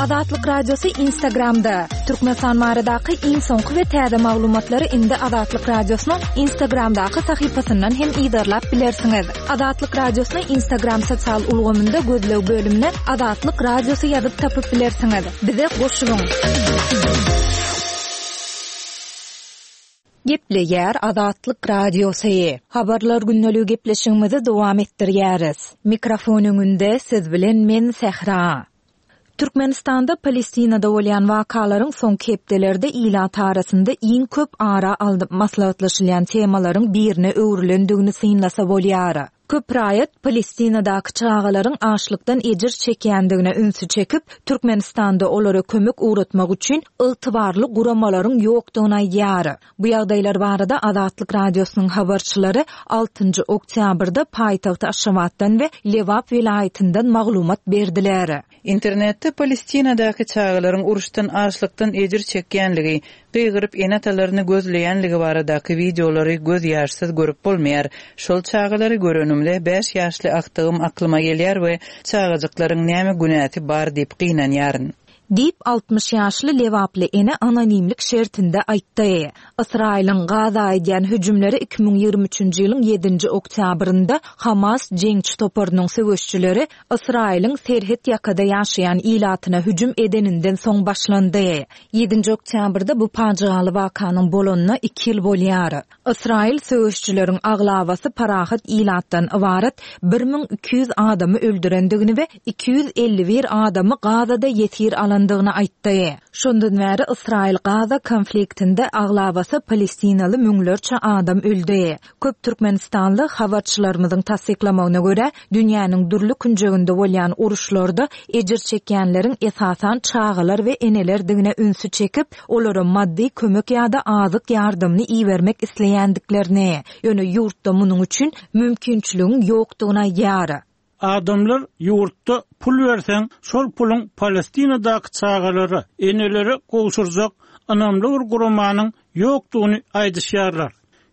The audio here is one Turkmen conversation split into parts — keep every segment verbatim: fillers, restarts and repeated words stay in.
Azatlyk Radiosy Instagramda. Türkmenistan baradaky iň soňky we täze maglumatlary indi Azatlyk Radiosynyň Instagramdaky sahypasyndan hem yzarlap bilersiňiz. Azatlyk Radiosyny Instagram sosial ulgamynda gözleg bölümine Azatlyk Radiosy ýazyp tapyp bilersiňiz. Bize goşulyň. Gepleýär Azatlyk Radiosy. Habarlar gündeligi gepleşigimizi dowam etdirýäris. Mikrofon öňünde siz bilen men Sähra. Türkmenistanda Palestinada bolýan wakalaryň soňky hepdelerde ilat arasynda iň köp ara alnyp maslahatlaşylýan temalaryň birine öwrülendigini synlasa bolýar. Köp raýat Palestinadaky çagalaryň açlykdan ejir çekýändigine ünsi çekip, Türkmenistanda olara kömek ugratmak üçin ygtybarly guramalaryň ýokdugyny aýdýar. Bu ýagdaýlar barada Azatlyk Radiosynyň habarçylary altynjy oktýabrda paýtagt Aşgabatdan we Lebap welaýatyndan maglumat berdiler. Internetde Palestinadaky çagalaryň uruşdan açlykdan ejir çekýänligi, gygyryp ene-atalaryny gözleýänligi baradaky wideolary göz ýaşsyz görüp bolmaýar. Şol çagalary görenimde bäş ýaşly agtygym aklyma gelýär we çagajyklaryň näme günäsi bar diýip gynanýaryn. Diýip, altmyş ýaşly Lebaply ene anonimlik şertinde aýtdy. Ysraýylyň Gaza edýän hüjümleri iki müň ýigrimi üçünji ýylyň ýedinji oktýabrynda Hamas jeňçi toparynyň söweşçileri Ysraýylyň serhet ýakada ýaşaýan ilatyna hüjüm edeninden soň başlandy. Ýedinji oktýabrda bu pajygaly wakanyň bolanyna iki ýyl bolýar. Ysraýyl söweşçileriň aglabasy parahat ilatdan ybarat bir müň iki ýüz adamy öldürendigini we iki ýüz elli bir adamy Gazada ýesir alandygyny aýtdy. Şondan bäri Ysraýyl-Gaza konfliktinde aglabasy palestinaly müňlerçe adam öldi. Köp türkmenistanly habarçylarymyzyň tassyklamagyna görä, dünýäniň dürli künjeginde bolýan uruşlarda ejir çekýänleriň esasan çagalar we enelerdigine ünsi çekip, olara maddy kömek ýa-da azyk ýardamyny ibermek isleýändiklerini, ýöne ýurtda munuň üçin mümkinçiligiň ýokdugyny aýdýar. Adamlar ýurtda pul berseň, şol puluň Palestinadaky çagalara, enelere gowşurjak ynamly bir guramanyň ýokdugyny aýdyşýarlar.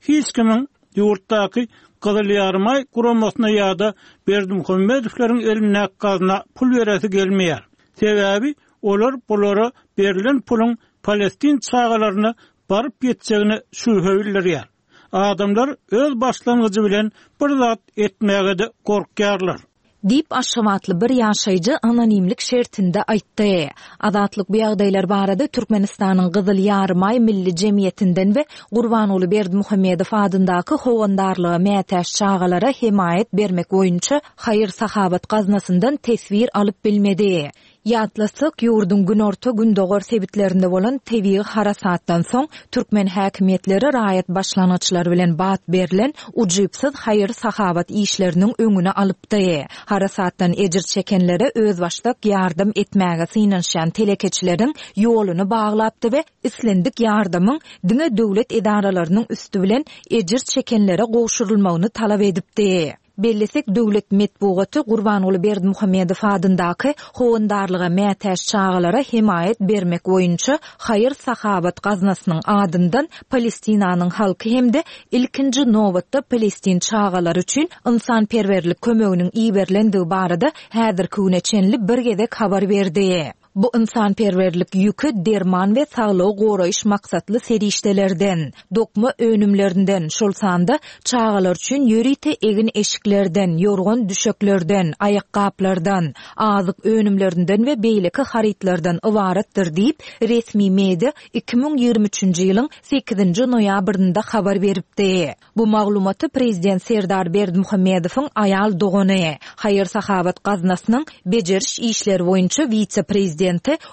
Hiç kimiň ýurtdaky Gyzyl Ýarymaý guramasyna ýa-da Berdimuhamedowlaryň elindäki gazna pul beresi gelmeýär. Sebäbi olar bulara berlen puluň Palestin çagalaryna baryp ýetjegine şübhe bildirýär. Adamlar öz başlangyjy bilen bir zat etmäge-de gorkýarlar. Diýip, Aşgabatly bir ýaşaýjy anonimlik şertinde aýtdy. Azatlyk bu ýagdaýlar barada Türkmenistanyň Gyzyl Ýarymaý Milli Jemgyýetinden we Gurbanguly Berdimuhamedow adyndaky howandarlyga mätäç çagalara hemaýat bermek boýunça haýyr-sahawat gaznasyndan teswir alyp bilmedi. Ýatlasak, ýurduň günorta-gündogar sebitlerinde bolan tebigy harasatdan soň türkmen häkimiýetleri raýat başlangyçlary bilen bat berlen ujypsyz haýyr-sahawat işleriniň öňüni alypdy. Harasatdan ejir çekenlere özbaşdak ýardam etmäge synanyşýan telekeçileriň ýoluny baglapdy we islendik ýardamyň diňe döwlet edaralarynyň üsti bilen ejir çekenlere gowşurylmagyny talap edipdi. Bellesek, döwlet metbugaty Gurbanguly Berdimuhamedow adyndaky howandarlyga mätäç çagalara hemaýat bermek boýunça haýyr-sahawat gaznasynyň adyndan Palestinanyň halky hem-de ilkinji nobatda palestin çagalary üçin ynsanperwerlik kömeginiň iberilendigi barada häzirki güne çenli bir gezek habar berdi. Bu ynsanperwerlik ýüki derman we saglygy goraýyş maksatly serişdelerden, dokma önümlerinden, şol sanda çagalar üçin ýörite egin-eşiklerden, ýorgan düşeklerden, aýakgaplardan, azyk önümlerinden we beýleki harytlardan ybaratdyr diýip, resmi media iki müň ýigrimi üçünji ýylyň sekizinji noýabrynda habar beripdi. Bu maglumaty prezident Serdar Berdimuhamedowyň aýal dogany, haýyr-sahawat gaznasynyň bejeriş işleri boýunça wise-prezidenti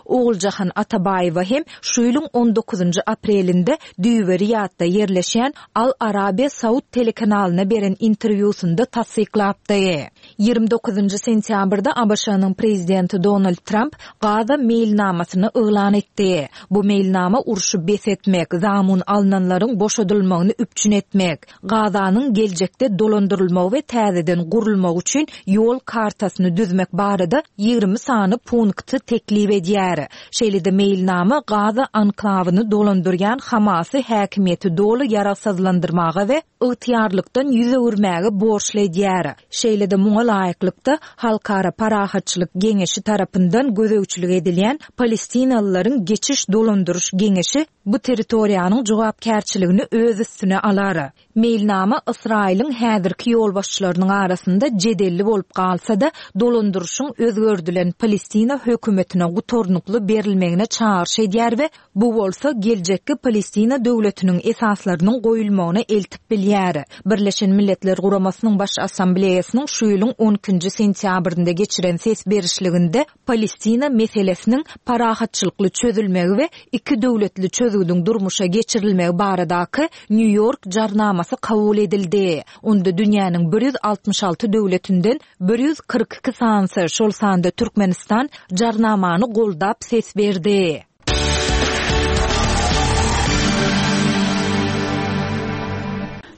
Oguljahan Atabaýewa hem şu ýylyň on dokuzynjy aprelinde Düýbe Riýadda ýerleşýän Al Arabiýa Saud telekanalyna beren interwýusynda tassyklapdy. Ýigrimi dokuzynjy sentýabrda A B Ş-nyň prezidenti Donald Tramp Gaza meýilnamasyny yglan etdi. Bu meýilnama urşy bes etmek, zamun alnanlaryň boşadylmagyny üpjün etmek, Gazanyň geljekde dolandyrylmagy we täzeden gurulmagy üçin ýol kartasyny düzmek barada ýigrimi sany punkty teklip edýär. Şeýle-de meýilnama Gaza anklawyny dolandyrýan Hamasy häkimiýeti doly ýaragsyzlandyrmaga we ygtyýarlykdan ýüz öwürmäge borçly edýär. Şeýle-de muňa Şoňa laýyklykda Halkara Parahatçylyk Geňeşi tarapyndan gözegçilik edilýän Palestinalylaryň geçiş dolandyryş geňeşi bu territoriýanyň jogapkärçiligini öz üstüne alar. Meýilnama Ysraýylyň häzirki ýolbaşçylarynyň arasynda jedelli bolup galsa-da, dolandyryşyň özgerdilen Palestina hökümetine gutarnykly berilmegine çagyryş edýär we bu bolsa geljekki Palestina döwletiniň esaslarynyň goýulmagyna eltip bilýär. Birleşen Milletler Guramasynyň Baş Assambleýasynyň şu ýylyň on ikinji sentýabrynda geçiren ses berişliginde Palestina meselesiniň parahatçylykly çözülmegi we iki döwletli çözgüdiň durmuşa geçirilmegi baradaky Nýu-Ýork jarnamasy kabul edildi. Onda dünýäniň bir ýüz altmyş alty döwletinden bir ýüz kyrk iki sanysy, şol sanda Türkmenistan jarnamany goldap ses berdi.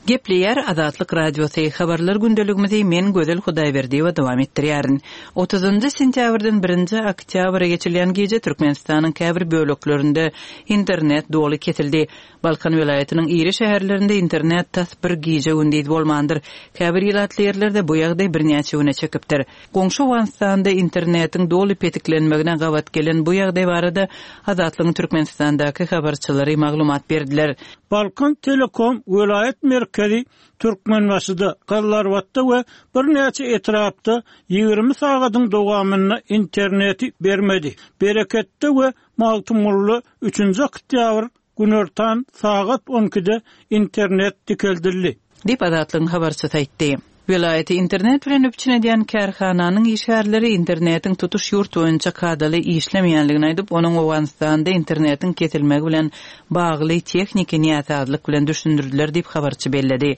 Gepleýär Azatlyk Radiosy habarlar gündeligimizi men Gözel Hudaýberdiýewa dowam etdirýärin. Otuzynjy sentýabrdan birinji oktýabra geçirilýän gije Türkmenistanyň käbir böleklerinde internet doly kesildi. Balkan welaýatynyň iri şäherlerinde internet tas bir gije gündiz bolmandyr. Käbir ilatly ýerlerde bu ýagdaý birnäçe güne çekipdir. Goňşy Owganystanda internetiň doly petiklenmegine gabat gelen bu ýagdaý barada Azatlygyň Türkmenistandaky habarçylary maglumat berdiler. Balkan Telekom welaýat merkezi Türkmenbaşyda, Gallarbatda we birnäçe etrapda ýigrimi sagadyň dowamynda interneti bermedi. Bereketde we Magtymgulyda üçünji oktýabr günortan sagat on ikide internet dikeldildi. Diýip Azatlygyň habarçysy aýtdy. Welaýaty internet bilen üpjün edýän kärhananyň işgärleri internetiň tutuş ýurt boýunça kadaly işlemeýänligini aýdyp, onuň Owganystanda internetiň kesilmegi bilen bagly tehniki näsazlyk bilen düşündirdiler diýip habarçy belledi.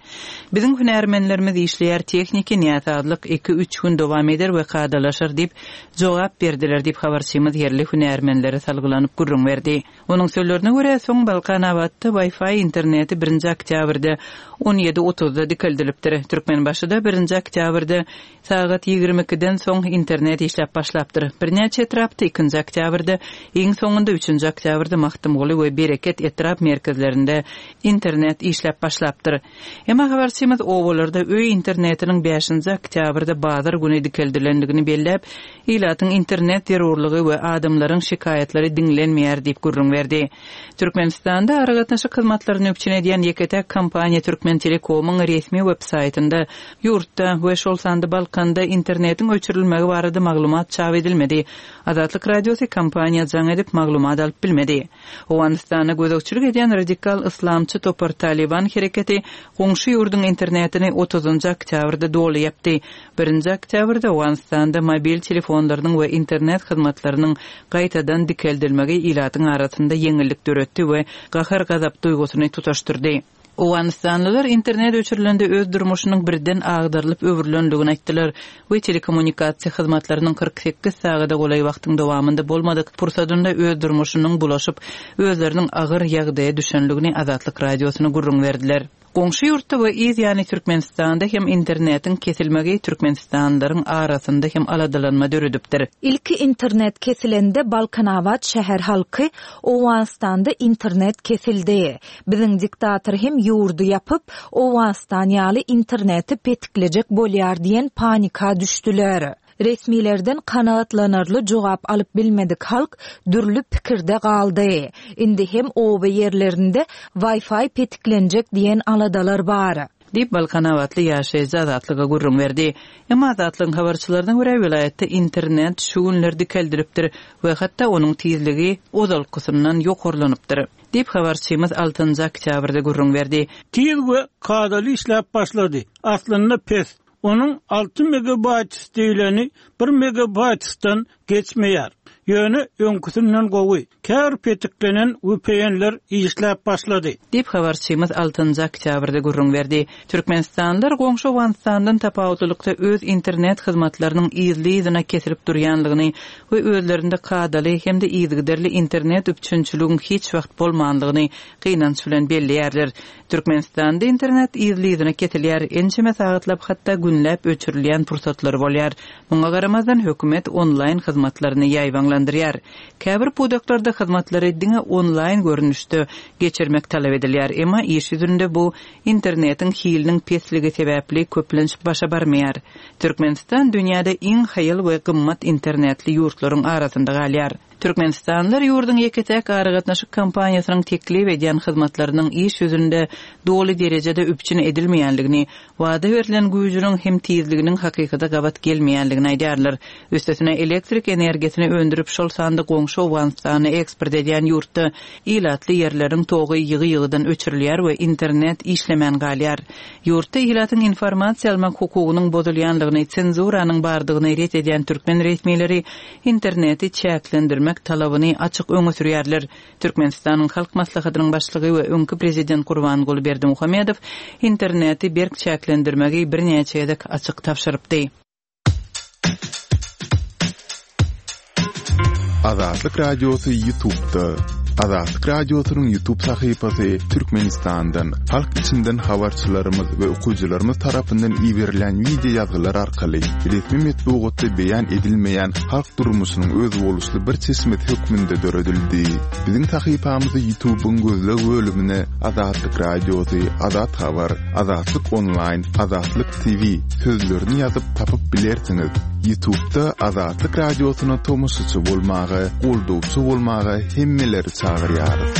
Biziň hünärmenlerimiz işleýär, tehniki näsazlyk iki-üç gün dowam eder we kadalaşar diýip jogap berdiler diýip habarçymyz ýerli hünärmenlere salgylanyp gürrüň berdi. Onuň sözlerine görä, soň Balkanabatda Wi-Fi interneti birinji oktýabrda on ýedi otuzda dikeldilipdir. Türkmenbaşyda birinji oktýabrda sagat ýigrimi ikiden soň internet işläp başlapdyr. Birnäçe etrapda ikinji oktýabrda, iň soňunda üçünji oktýabrda Magtymguly we Bereket etrap merkezlerinde internet işläp başlapdyr. Emma habarçymyz obalarda öý internetiniň bäşinji oktýabrda bazar güni dikeldilendigini belläp, ilatyň internet zerurlygy we adamlaryň şikaýatlary diňlenmeýär diýip gürrüň berdi. Türkmenistanda aragatnaşyk hyzmatlaryny üpjün edýän ýeke-täk kompaniýa Türkmen Telekomyň resmi web saýtynda ýurtda we şol sanda Balkanda internetiň öçürilmegi barada maglumat çap edilmedi. Azatlyk Radiosy kompaniýa jaň edip maglumat alyp bilmedi. Owganystanda gözegçilik edýän radikal islamçy topar Taliban hereketi goňşy ýurduň internetini otuzynjy oktýabrda doly ýapdy. Birinji oktýabrda Owganystanda mobil telefonlarynyň we internet hyzmatlarynyň gaýtadan dikeldilmegi ilatyň arasynda ýeňillik döretdi we gahar-gazap duýgusyny tutaşdyrdy. Owganistanlylar internet öçürilende öz durmuşynyň birden agdarylyp öwrülendigini aýtdylar we telekommunikasiýa hyzmatlarynyň kyrk sekiz sagada golaý wagtyň dowamynda bolmadyk pursadynda öz durmuşynyň bulaşyp, özleriniň agyr ýagdaýa düşenligini Azatlyk Radiosyna gürrüň berdiler. Goňşy ýurtda we yz ýany Türkmenistanda hem internetiň kesilmegi Türkmenistanlylaryň arasynda hem aladalanma döredipdir. Ilki internet kesilende Balkanabat şäher halky Owganystanda internet kesildi. Biziň diktator hem ýurdy ýapyp, Owganystan ýaly interneti petiklejek bolýar diýen panika düşdüler. Resmilerden kanaatlanarly jogap alyp bilmedik halk dürli pikirde galdy. Indi hem oba ýerlerinde Wi-Fi petiklenjek diýen aladalar bar. Diýip Balkanabatly ýaşaýjy Azatlyga gürrüň berdi. Emma Azatlygyň habarçylaryna görä welaýatda internet şu günler dikeldilipdir we hatda onuň tizligi ozalkysyndan ýokarlanypdyr. Diýip habarçymyz altynjy oktýabrda gürrüň berdi. Tiz we kadaly işläp başlady. Aslynda pes. Onuň alty megabayt diýileni bir megabaytdan geçmeýär. Ýöne öňküsinden gowy. Kär petiklenen V P N-ler işläp başlady. Diýip habarçymyz altynjy oktýabrda gürrüň berdi. Türkmenistanlylar goňşy Owganistandan tapawutlylykda öz internet hyzmatlarynyň yzly-yzyna kesilip durýanlygyny we özlerinde kadaly hem-de yzygiderli internet üpjünçiligiň hiç wagt bolmanlygyny gynanç bilen belleýärler. Türkmenistanda internet yzly-yzyna kesilýär, ençeme sagatlap hatda günläp öçürilýän pursatlary bolýar. Muňa garamazdan hökümet onlaýn hyzmatlaryny ýaýbaňlandyrýar. Käbir pudaklarda hyzmatlary diňe onlaýn görnüşde geçirmek talap edilýär. Emma iş ýüzünde bu internetiň hiliniň pesligi sebäpli köplenç başa barmaýar. Türkmenistan dünýäde iň haýal we gymmat internetli ýurtlaryň arasynda galýar. Türkmenistanlylar ýurduň ýeke-täk aragatnaşyk kompaniýasynyň teklip edýän hyzmatlarynyň iş ýüzünde doly derejede üpjün edilmeýänligini, wada berlen güýjüniň hem tizliginiň hakykata gabat gelmeýänligini aýdýarlar. Üstesine elektrik energiýasyny öndürip şol sanda goňşy Owganystana eksport edýän ýurtda ilatly ýerleriň togy ýygy-ýygydan öçürilýär we internet işlemän galýar. Ýurtda ilatyň informasiýa almak hukugynyň bozulýanlygyny, senzuranyň bardygyny ret edýän türkmen resmileri interneti çäklendirmek talabyny açyk öňe sürýärler. Türkmenistanyň Halk Maslahatynyň başlygy we öňki prezident Gurbanguly Berdimuhamedow interneti berk çäklendirmegi birnäçe gezek açyk tabşyrypdy. Azatlyk Radiosy YouTube'da. Azatlyk Radiosynyň YouTube sahypasy Türkmenistandan, halk içinden habarçylarymyz we okyjylarymyz tarapyndan iberilen video ýazgylar arkaly resmi metbugatda beýan edilmeýän halk durmuşynyň özboluşly bir çeşmesi hökmünde döredildi. Biziň sahypamyzy YouTube'yň gözleg bölümine Azatlyk Radiosy, Azat Habar, Azatlyk Online, Azatlyk T V sözlerini ýazyp tapyp bilersiňiz. YouTube'da Azatlyk Radiosyna tomaşaçy bolmaga, goldawçy bolmaga hemmeleri çagyrýarys.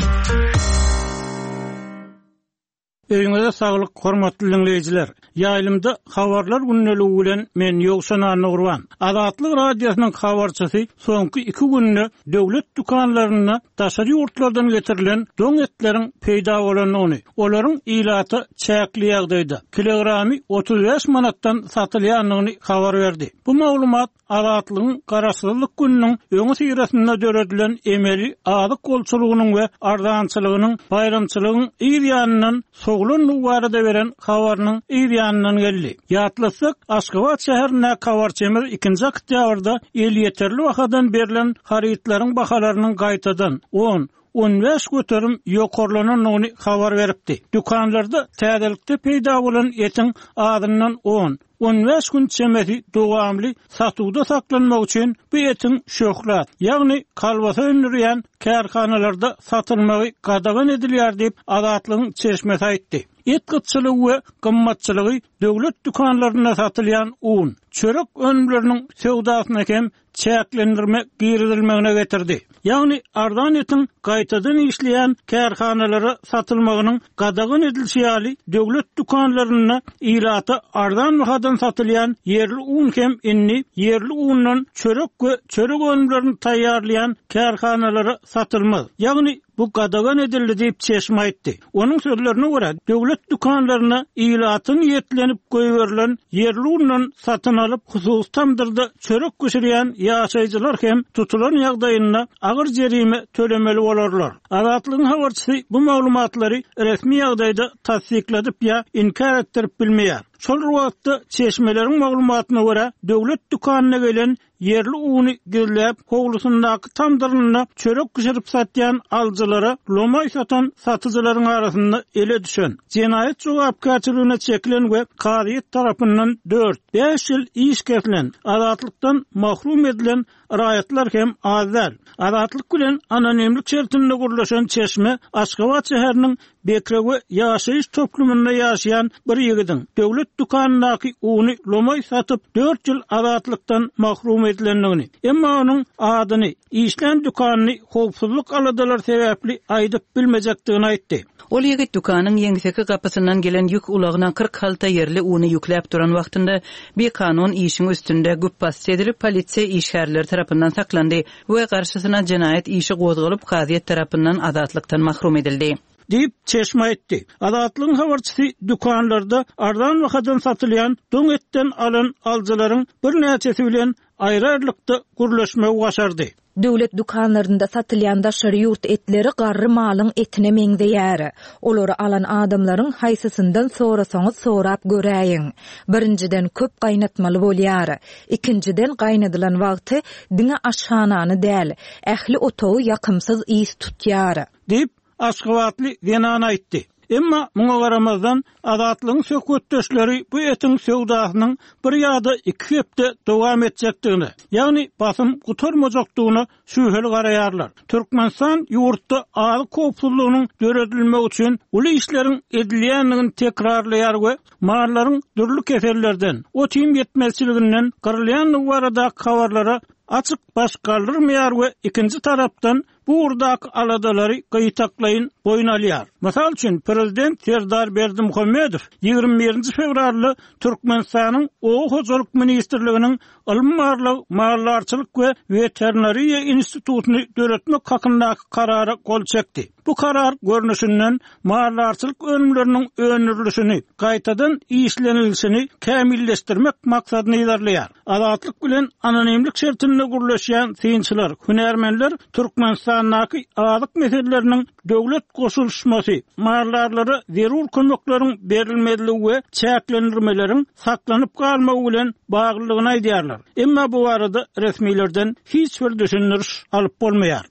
Öýüňize saglyk, hormatly dinleýjiler. Ýaýlymda habarlar gündeligi bilen men Ýowşan Annagurban. Azatlyk Radiosynyň habarçysy soňky iki günde döwlet dükanlarynda daşary ýurtlardan getirilen doň etleriň peýda bolandygyny, olaryň ilata çäkli ýagdaýda kilogramy otuz bäş manatdan satylýandygyny habar berdi. Bu maglumat Azatlygyň Garaşsyzlyk gününiň öňi syrasynda döredilen emeli azyk bolçulygynyň we arzançylygynyň baýramçylygyň yz ýanyndan sowulandygy barada beren habarynyň yz ýanyndan geldi. Ýatlatsak, Aşgabat şäherindäki habarçymyz ikinji oktýabrda elýeterli bahadan berlen harytlaryň bahalarynyň gaýtadan on, on bäş göterim ýokarlanandygyny habar beripdi. Dükanlarda täzelikde peýda bolan etiň azyndan on, on bäş gün çemesi dowamly satuwda saklanmak üçin bu etiň şöhrat, ýagny kalbasa öndürýän kärhanalarda satylmagy gadagan edilýär diýip Azatlygyň çeşmesi aýtdy. Et gytçylygy we gymmatçylygy döwlet dükanlarynda satylýan un, çörek önümleriniň söwdasyna hem çäklendirme girizilmegine getirdi. Ýagny arzan etiň gaýtadan işleýän kärhanalara satylmagynyň gadagan edilişi ýaly döwlet dükanlarynda ilata arzan bahadan satylýan ýerli un hem indi ýerli undan çörek we çörek önümlerini taýýarlaýan kärhanalara satylmaz. Ýagny bu gadagan edildi diýip çeşme aýtdy. Onuň sözlerine görä döwlet dükanlaryna ilatyň niýetlenip goýberilen ýerli undan satyn alyp hususy tamdyrda çörek bişirýän ýaşaýjylar hem tutulan ýagdaýynda agyr jerime tölemeli bolarlar. Azatlygyň habarçysy bu maglumatlary resmi ýagdaýda tassykladyp ýa inkär etdirip bilmeýär. Şol wagtda çeşmeleriň maglumatyna görä döwlet dükanyna gelen ýerli uny gizläp howlusyndaky tamdyrynda çörek bişirip satýan alyjylara lomaý satan satyjylaryň arasynda ele düşen jenaýat jogapkärçiligine çekilen we kazyýet tarapyndan dört, bäş ýyl iş kesilen, azatlykdan mahrum edilen raýatlar hem az däl. Azatlyk bilen anonimlik şertinde gurlaşan çeşme Aşgabat şäheriniň Bekrewe ýaşaýyş toplumynda ýaşaýan bir ýigidiň döwlet dükanyndaky uny lomaý satyp dört ýyl azatlykdan mahrum edilendigini, emma onuň adyny, işlän dükanyny howpsuzlyk aladalary sebäpli aýdyp bilmejekdigini aýtdy. Ol ýigit dükanyň ýeňseki gapysyndan gelen ýük ulagyna kyrk halta ýerli uny ýükläp duran wagtynda bir kanun işiň üstünde güpbasdy edilip polisiýa işgärleri tarapyndan saklandy we garşysyna jenaýat işi gozgalyp kazyýet tarapyndan azatlykdan mahrum edildi. Diýip çeşme aýtdy. Azatlygyň habarçysy dükanlarda arzan bahadan satylýan doň etden alan alyjylaryň birnäçesi bilen aýry-aýrylykda gürleşmegi başardy. Döwlet dükanlarynda satylýan daşary ýurt etleri garry malyň etine meňzeýär. Olary alan adamlaryň haýsysyndan sorasaňyz sorap göräýiň. Birinjiden köp gaýnatmaly bolýar. Ikinjiden gaýnadylan wagty diňe aşhanany däl, ähli otagy ýakymsyz ys tutýar. Diýip Aşgabatly zenan aýtdy. Emma muňa garamazdan, Azatlygyň söhbetdeşleri bu etiň söwdasynyň bir ýa-da iki hepde dowam etjekdigine, ýagny basym gutarmajakdygyna şübheli garaýarlar. Türkmenistan ýurtda azyk howpsuzlygynyň döredilmegi üçin uly işleriň edilýändigini tekrarlaýar we mallaryň dürli kesellerden, ot-iým ýetmezçiliginden gyrylýandygy baradaky habarlara açyk baş galdyrmaýar we ikinji tarapdan bu ugurdaky aladalary gytaklaýyn boýun alýar. Mysal üçin, prezident Serdar Berdimuhamedow ýigrimi birinji fewralda Türkmenistanyň Oba hojalyk ministrliginiň Ylmy-barlag, maldarçylyk we weterinariýa institutyny döretmek hakyndaky karara gol çekdi. Bu karar görnüşinden maldarçylyk önümleriniň öndürilişini, gaýtadan işlenilişini kämilleşdirmek maksadyny yzarlaýar. Azatlyk bilen anonimlik şertinde gürleşýän synçylar, hünärmenler Türkmenistandaky azyk meseleleriniň döwlet goşulyşmasy, maldarlara zerur kömekleriň berilmezligi we çäklendirmeleriň saklanyp galmagy bilen baglydygyny aýdýarlar. Emma bu barada resmilerden hiç bir düşündiriş alyp bolmaýar.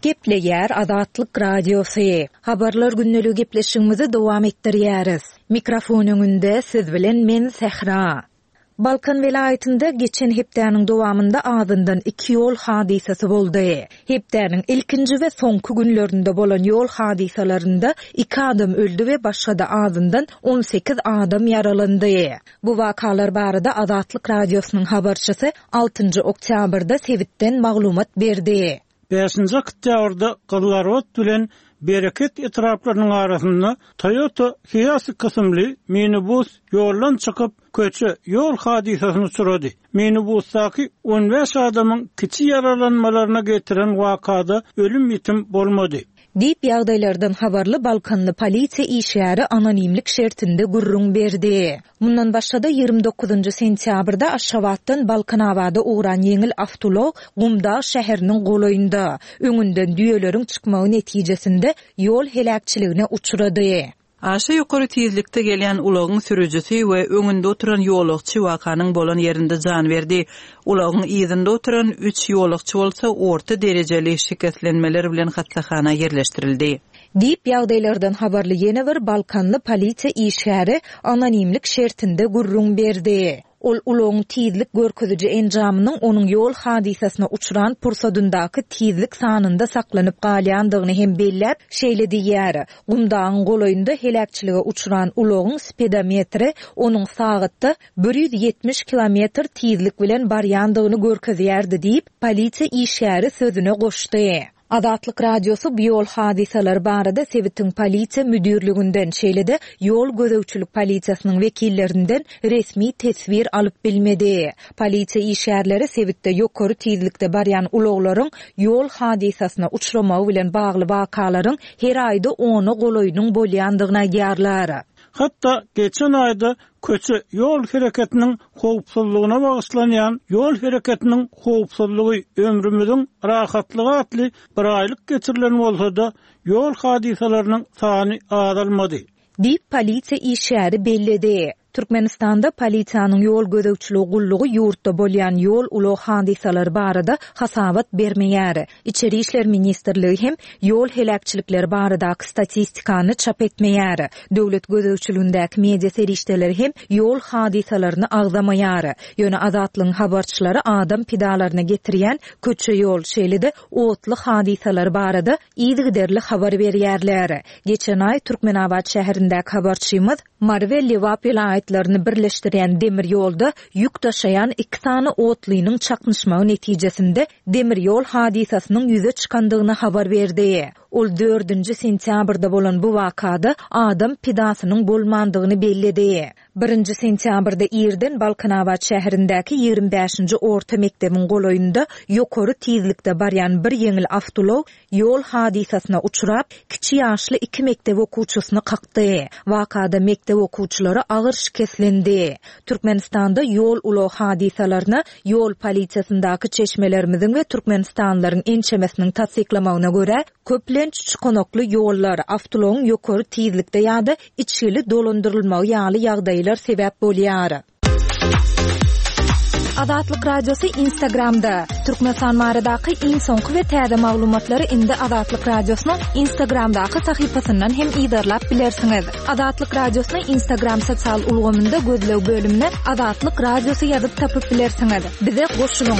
Gepleýär Azatlyk Radiosy. Habarlar gündeligi gepleşigimizi dowam etdirýäris. Mikrofon öňünde siz bilen men Sähra. Balkan welaýatynda geçen hepdäniň dowamynda azyndan iki ýol hadysasy boldy. Hepdäniň ilkinji we soňky günlerinde bolan ýol hadysalarynda iki adam öldi we başga-da azyndan on sekiz adam ýaralandy. Bu wakalar barada Azatlyk Radiosynyň habarçysy altynjy oktýabrda sebitden maglumat berdi. Bäşinji oktýabrda Gyzlarbat bilen Bereket etraplarynyň arasynda Toyota Hiace kysymly minibus ýoldan çykyp, köçe ýol hadysasyny uçrady. Minibusdaky on bäş adamyň kiçi ýaralanmalaryna getiren wakada ölüm ýitim bolmady. Diýip ýagdaýlardan habarly Balkanly polisiýa işgäri anonimlik şertinde gürrüň berdi. Mundan başga-da ýigrimi dokuzynjy sentýabrda Aşgabatdan Balkanabada ugran ýeňil awtoulag Gumdag şäheriniň golaýynda öňünden düýeleriň çykmagy netijesinde ýol heläkçiligine uçrady. Aşa ýokary tizlikde gelýän ulagyň sürüjisi we öňünde oturan ýolagçy wakanyň bolan ýerinde jan berdi. Ulagyň yzynda oturan üç ýolagçy bolsa orta derejeli şikeslenmeler bilen hassahana ýerleşdirildi. Diýip ýagdaýlardan habarly ýene bir Balkanly polisiýa işgäri anonimlik şertinde gürrüň berdi. Ol ulagyň tizlik görkeziji enjamynyň onuň ýol hadysasyna uçran pursadyndaky tizlik sanynda saklanyp galýandygyny hem belläp, şeýle diýýär. Gumdagyň golaýynda heläkçilige uçran ulagyň speedometri onuň sagatda bir ýüz ýetmiş kilometr tizlik bilen barýandygyny görkezýärdi diýip, polisiýa işgäri sözüne goşdy. Azatlyk Radiosy bu ýol hadysalary barada sebitiň polisiýa müdirliginden, şeýle-de ýol gözegçilik polisiýasynyň wekillerinden resmi teswir alyp bilmedi. Polisiýa işgärleri sebitde ýokary tizlikde barýan ulaglaryň ýol hadysasyna uçramagy bilen bagly wakalaryň her aýda ona golaýynyň bolýandygyny aýdýarlar. Hatda geçen aýda köçe ýol hereketiniň howpsuzlygyna bagyşlanýan ýol hereketiniň howpsuzlygy ömrümüziň rahatlygy atly bir aýlyk geçirilen bolsa-da ýol hadysalarynyň sany azalmady. Diýip polisiýa işgäri belledi. Türkmenistanda polisiýanyň ýol gözegçiligi gullugy ýurtda bolýan ýol ulag hadysalary barada hasabat bermeýär. Içeri İşler Ministrligi hem ýol heläkçilikleri baradaky statistikany çap etmeýär. Döwlet gözegçiligindäki media serişdeleri hem ýol hadysalaryny agzamaýar. Ýöne Azatlygyň habarçylary adam pidalaryna getirýän köçe ýol, şeýle-de otly hadysalary barada yzygiderli habar berýärler. Geçen aý Türkmenabat şäherindäki habarçymyz Mary we Lebap welaýatlaryny birleşdirýän demir ýolda ýük daşaýan iki sany otlynyň çaknyşmagy netijesinde demir ýol hadysasynyň ýüze çykandygyny habar berdi. Ol dördünji sentýabrda bolan bu wakada adam pidasynyň bolmandygyny belledi. Birinji sentýabrda irden Balkanabat şäherindäki ýigrimi bäşinji orta mekdebiň golaýynda ýokary tizlikde barýan bir ýeňil awtoulag ýol hadysasyna uçrap, kiçi ýaşly iki mekdep okuwçysyny kakdy. Wakada mekdep okuwçylary agyr şikeslendi. Türkmenistanda ýol ulag hadysalaryna ýol polisiýasyndaky çeşmelerimiziň we Türkmenistanlylaryň ençemesiniň tassyklamagyna görä, köplenç çukanakly ýollar, awtoulagyň ýokary tizlikde ýa-da içgili dolandyrylmagy ýaly ýagdaýlar sebäp bolýar. Azatlyk Radiosy Instagramda. Türkmenistan baradaky iň soňky we täze maglumatlary indi Azatlyk Radiosynyň Instagramdaky sahypasyndan hem yzarlap bilersiňiz. Azatlyk Radiosyny Instagram sosial ulgamynda gözleg bölümine Azatlyk Radiosy ýazyp tapyp bilersiňiz. Bize goşulyň.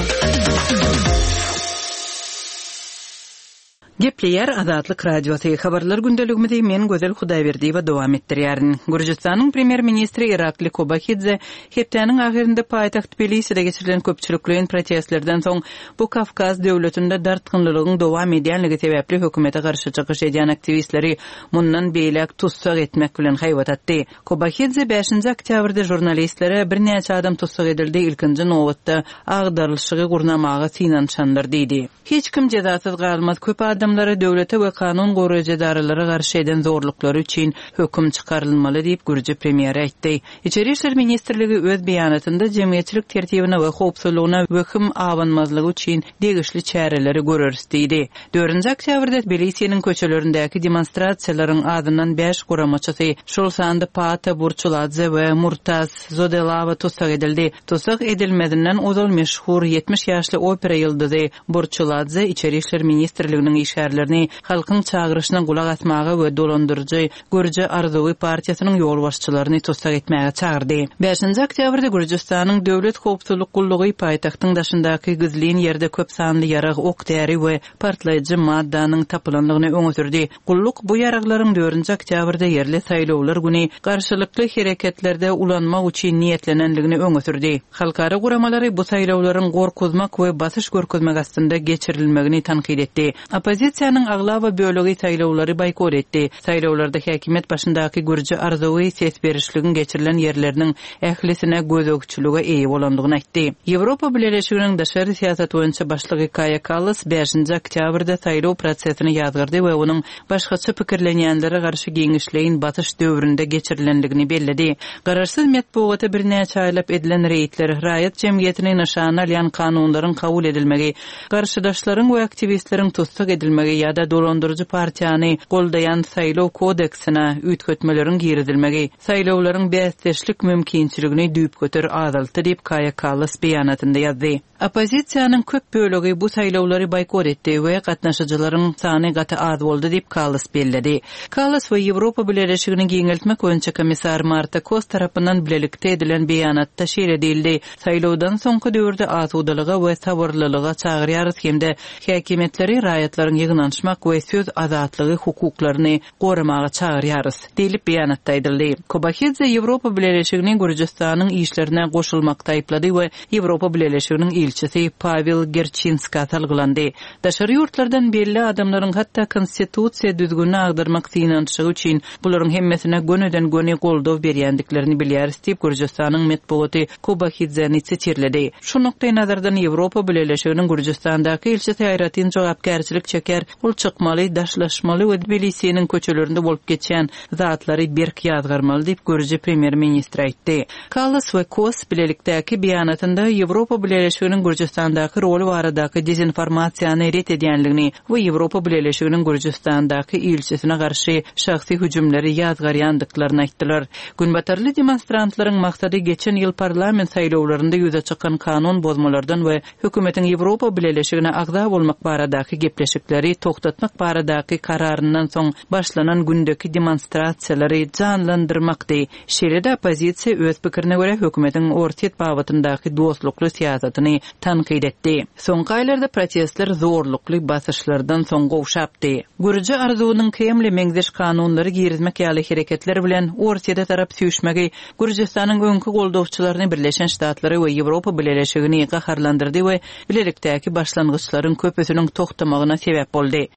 Gepleýär Azatlyk Radiosy. Habarlar gündeligimizi men Gözel Hudaýberdiýewa dowam etdirýärin. Gürjüstanyň premýer-ministri Irakli Kobahidze hepdäniň ahyrynda paýtagt Tbiliside geçirilen köpçülikleýin protestlerden soň bu Kawkaz döwletinde dartgynlylygyň dowam edýänligi sebäpli hökümete garşy çykyş edýän aktiwistleri mundan beýläk tussag etmek bilen haýbat atdy. Kobahidze bäşinji oktýabrda žurnalistlere birnäçe adam tussag edildi, ilkinji nobatda agdarylyşygy gurnamaga synanyşanlar diýdi. Hiç kim jezasyz galmaz, köp adamlara döwlete we kanun goraýjy edaralara garşy eden zorluklary üçin höküm çykarylmaly diýip, gürji premýeri aýtdy. Içeri işler ministrligi öz beýanatynda jemgyýetçilik tertibine we howpsuzlygyna wehim abanmazlygy üçin degişli çäreleri göreris diýdi. Dördünji oktýabrda Tbilisiniň köçelerindäki demonstrasiýalaryň azyndan bäş guramaçysy, şol sanda Paata Burçuladze we Murtaz Zodelawa tussag edildi. Tussag edilmezinden ozal meşhur ýetmiş ýaşly opera ýyldyzy Burçuladze Içeri işler ministrliginiň işgärlerini halkyň çagyryşyna gulak asmaga we dolandyryjy Gürji Arzuwy partiýasynyň ýolbaşçylaryny tussag etmäge çagyrdy. Bäşinji oktýabrda Gürjüstanyň Döwlet howpsuzlyk gullugy paýtagtyň daşyndaky gizlin ýerde köp sanly ýarag, ok-däri we partlaýjy maddanyň tapylandygyny öňe sürdi. Gulluk bu ýaraglaryň dördünji oktýabrda ýerli saýlawlar güni garşylykly hereketlerde ulanmak üçin niýetlenendigini öňe sürdi. Halkara guramalary bu saýlawlaryň gorkuzmak we basyş görkezmek astynda geçirilmegini tankyt etdi. Oppozisiýanyň aglaba bölegi saýlawlary boýkot etdi. Saýlawlarda häkimiýet başyndaky Gürji Arzuwy ses berişligiň geçirilen ýerleriniň ählisine gözegçilige eýe bolandygyny aýtdy. Ýewropa Bileleşiginiň daşary syýasat boýunça başlygy Kaýa Kallas bäşinji oktýabrda saýlaw prosesini ýazgardy we onuň başgaça pikirlenýänlere garşy giňişleýin basyş döwründe geçirilendigini belledi. Garaşsyz metbugata birnäçe aýlap edilen reýdler, raýat jemgyýetini nyşana alýan kanunlaryň kabul edilmegi, garşydaşlaryň we aktiwistleriň tussag edilmegi ýa-da dolandyryjy partiýany goldaýan saýlaw kodeksine üýtgetmeleriň girizilmegi saýlawlaryň bäsdeşlik mümkinçiligini düýpgöter azaltdy diýip Kaýa Kallas beýanatynda ýazdy. Oppozisiýanyň köp bölegi bu saýlawlary boýkot etdi we gatnaşyjylaryň sany gaty az boldy diýip Kallas belledi. Kallas we Ýewropa Bileleşigini giňeltmek boýunça komissar Marta Kos tarapyndan bilelikde edilen beýanatda şeýle diýildi: Saýlawdan soňky döwürde asudalyga we sabyrlylyga çagyrýarys hem-de häkimiýetleri raýatlaryň ýygnanyşmak we söz azatlygy hukuklaryny goramaga çagyrýarys diýlip beýanatda aýdyldy. Kobahidze Ýewropa Bileleşigini Gürjüstanyň işlerine goşulmakda aýyplady we Ýewropa Bileleşiginiň ilçisi Pawel Gerçinska salgylandy. Daşary ýurtlardan belli adamlaryň hatda konstitusiýa düzgünini agdarmak synanyşygy üçin bularyň hemmesine gönüden-göni goldaw berýändiklerini bilýäris diýip Gürjüstanyň metbugaty Kobahidzeni sitirledi. Şu nukdaý nazardan Ýewropa Bileleşiginiň Gürjüstandaky ilçisi aýratyn jogapkärçilik çeker, ol çykmaly, daşlaşmaly we Tbilisiniň köçelerinde bolup geçýän zatlary berk ýazgarmaly diýip Gürji premýer-ministri aýtdy. Kallas we Kos bilelikdäki beýanatynda Ýewropa Bileleşiginiň Gürjüstandaky roly baradaky dezinformasiýany ret edýänligini we Ýewropa Bileleşiginiň Gürjüstandaky ilçisine garşy şahsy hüjümleri ýazgarýandyklaryny aýtdylar. Günbatarly demonstrantlaryň maksady geçen ýyl parlament saýlawlarynda ýüze çykan kanun bozmalardan we hökümetiň Ýewropa Bileleşigine agza bolmak baradaky gepleşikleri toxtatmak baradaky kararyndan soň başlanan gündeki demonstrasiýalary janlandyrmakdy. Şeýle-de oppozisiýa öz pikirine görä hökümetiň Orsýet babatyndaky dostlukly syýasatyny tankyt etdi. Soňky aýlarda protestler zorlukly basyşlardan soň gowşapdy. Gürji Arzuwynyň Kremle meňzeş kanunlary girizmek ýaly hereketler bilen Orsýete tarap süýşmegi Gürjüstanyň öňki goldawçylaryny Birleşen Ştatlary we Ýewropa Bileleşigini gaharlandyrdy we bilelikdäki başlangyçlaryň köpüsiniň toxtamagyna sebäp boldy.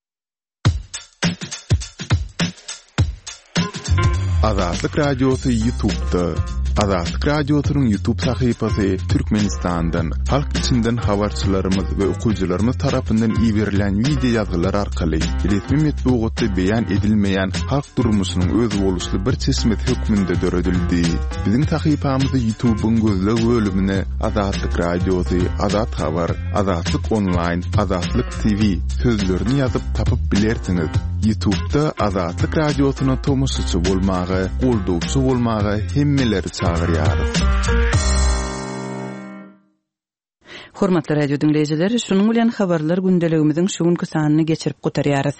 Azatlyk Radiosy YouTube'da. Azatlyk Radiosynyň YouTube sahypasy Türkmenistandan, halk içinden habarçylarymyz we okyjylarymyz tarapyndan iberilen wideo ýazgylar arkaly resmi metbugatda beýan edilmeýän halk durmuşynyň özboluşly bir çeşmesi hökmünde döredildi. Biziň sahypamyzy YouTube'yň gözleg bölümine Azatlyk Radiosy, Azat Habar, Azatlyk Online, Azatlyk T V sözlerini ýazyp tapyp bilersiňiz. YouTube'da Azatlyk Radiosyna tomaşaçy bolmaga, goldawçy bolmaga hemmeleri çagyrýarys. Hormatly radio diňleýjiler, şunuň bilen habarlar gündeligimiziň şu günki sanyny geçirip gutarýarys.